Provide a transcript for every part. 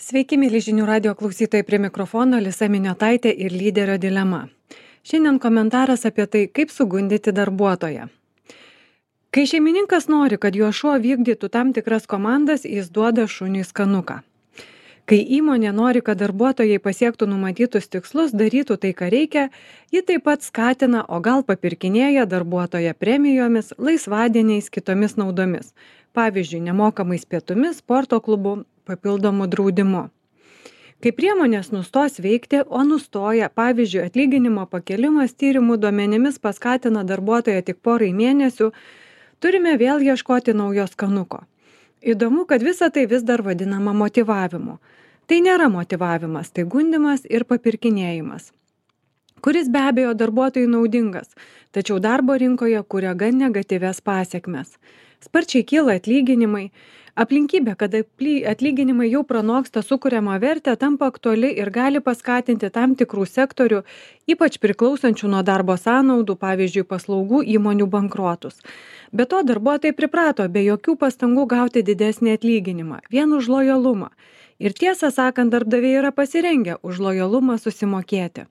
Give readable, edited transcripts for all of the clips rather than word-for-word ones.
Sveiki, mėly žinių radio klausytojai, prie mikrofono Lisa Miniotaitė ir lyderio dilema. Šiandien komentaras apie tai, kaip sugundyti darbuotoją. Kai šeimininkas nori, kad jo šuo vykdytų tam tikras komandas, jis duoda šuniui skanuką. Kai įmonė nori, kad darbuotojai pasiektų numatytus tikslus, darytų tai, ką reikia, ji taip pat skatina, o gal papirkinėja darbuotoją premijomis, laisvadieniais, kitomis naudomis. Pavyzdžiui, nemokamais pietumis, sporto klubu, papildomų draudimu. Kai priemonės nustos veikti, o nustoja, pavyzdžiui, atlyginimo pakelimas tyrimų duomenimis paskatina darbuotoją tik porai mėnesių, turime vėl ieškoti naujo skanuko. Įdomu, kad visa tai vis dar vadinama motyvavimu. Tai nėra motyvavimas, tai gundymas ir papirkinėjimas, kuris be abejo darbuotojui naudingas, tačiau darbo rinkoje kuria gan negatyvias pasekmes. Sparčiai kyla atlyginimai. Aplinkybė, kad atlyginimai jau pranoksta sukuriamą vertę, tampa aktuali ir gali paskatinti tam tikrų sektorių, ypač priklausančių nuo darbo sąnaudų, pavyzdžiui, paslaugų įmonių bankrotus. Be to, darbuotojai priprato be jokių pastangų gauti didesnį atlyginimą, vien už lojalumą. Ir tiesą sakant, darbdaviai yra pasirengę už lojalumą susimokėti.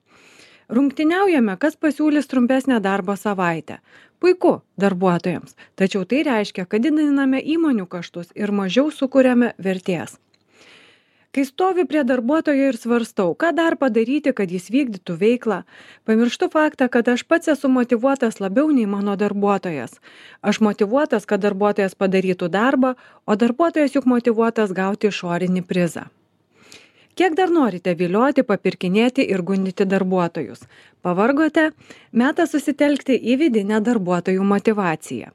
Rungtyniaujame, kas pasiūlys trumpesnę darbo savaitę. Puiku darbuotojams, tačiau tai reiškia, kad didiname įmonių kaštus ir mažiau sukuriame vertės. Kai stoviu prie darbuotojo ir svarstau, ką dar padaryti, kad jis vykdytų veiklą, pamirštu faktą, kad aš pats esu motyvuotas labiau nei mano darbuotojas. Aš motyvuotas, kad darbuotojas padarytų darbą, o darbuotojas juk motyvuotas gauti išorinį prizą. Kiek dar norite vilioti, papirkinėti ir gundyti darbuotojus? Pavargote? Metas susitelkti į vidinę darbuotojų motyvaciją.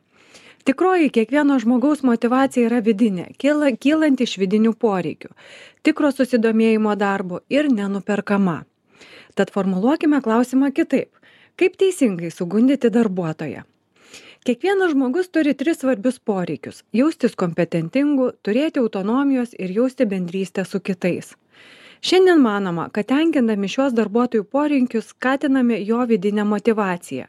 Tikroji kiekvieno žmogaus motyvacija yra vidinė, kylanti iš vidinių poreikių, tikro susidomėjimo darbu ir nenuperkama. Tad formuluokime klausimą kitaip. Kaip teisingai sugundyti darbuotoją? Kiekvienas žmogus turi 3 svarbius poreikius – jaustis kompetentingu, turėti autonomijos ir jausti bendrystę su kitais. Šiandien manoma, kad tenkindami šios darbuotojų poreikius skatiname jo vidinę motyvaciją.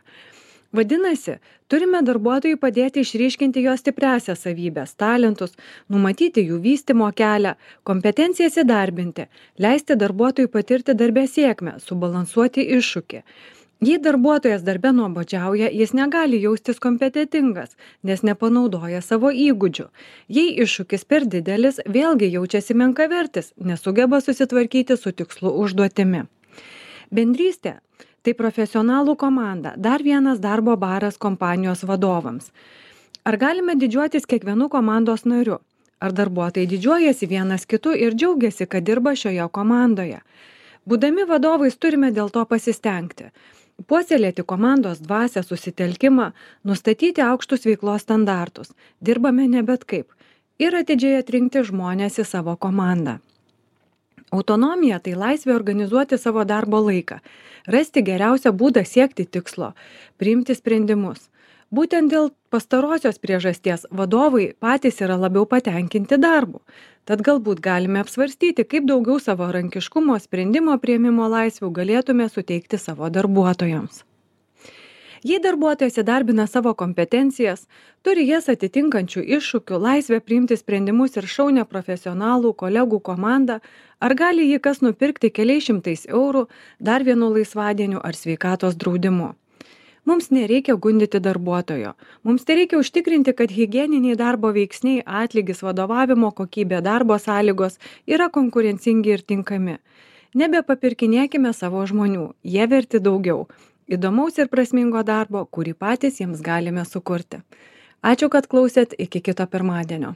Vadinasi, turime darbuotojui padėti išryškinti jo stipriąsias savybės, talentus, numatyti jų vystymo kelią, kompetencijas įdarbinti, leisti darbuotojui patirti darbe sėkmę, subalansuoti iššūkį. Jei darbuotojas darbe nuobodžiauja, jis negali jaustis kompetentingas, nes nepanaudoja savo įgūdžių. Jei iššūkis per didelis, vėlgi jaučiasi menkavertis, nesugeba susitvarkyti su tikslu užduotimi. Bendrystė – tai profesionalų komanda, dar vienas darbo baras kompanijos vadovams. Ar galime didžiuotis kiekvienu komandos nariu? Ar darbuotojai didžiuojasi vienas kitu ir džiaugiasi, kad dirba šioje komandoje? Būdami vadovais turime dėl to pasistengti. Puoselėti komandos dvasią, susitelkimą, nustatyti aukštus veiklos standartus. Dirbame ne bet kaip. Ir atidžiai atrinkti žmonės į savo komandą. Autonomija – tai laisvė organizuoti savo darbo laiką, rasti geriausią būdą siekti tikslo, priimti sprendimus. Būtent dėl pastarosios priežasties vadovai patys yra labiau patenkinti darbu. Tad galbūt galime apsvarstyti, kaip daugiau savarankiškumo, sprendimo priėmimo laisvių galėtume suteikti savo darbuotojams. Jei darbuotojas įdarbina savo kompetencijas, turi jas atitinkančių iššūkių, laisvę priimti sprendimus ir šaunią profesionalų kolegų komandą, ar gali jį kas nupirkti keliais šimtais eurų, dar vienu laisvadieniu ar sveikatos draudimu. Mums nereikia gundyti darbuotojo. Mums tereikia užtikrinti, kad higieniniai darbo veiksniai, atlygis, vadovavimo kokybė, darbo sąlygos yra konkurencingi ir tinkami. Nebepapirkinėkime savo žmonių, jie verti daugiau. Įdomaus ir prasmingo darbo, kurį patys jiems galime sukurti. Ačiū, kad klausėt, iki kito pirmadienio.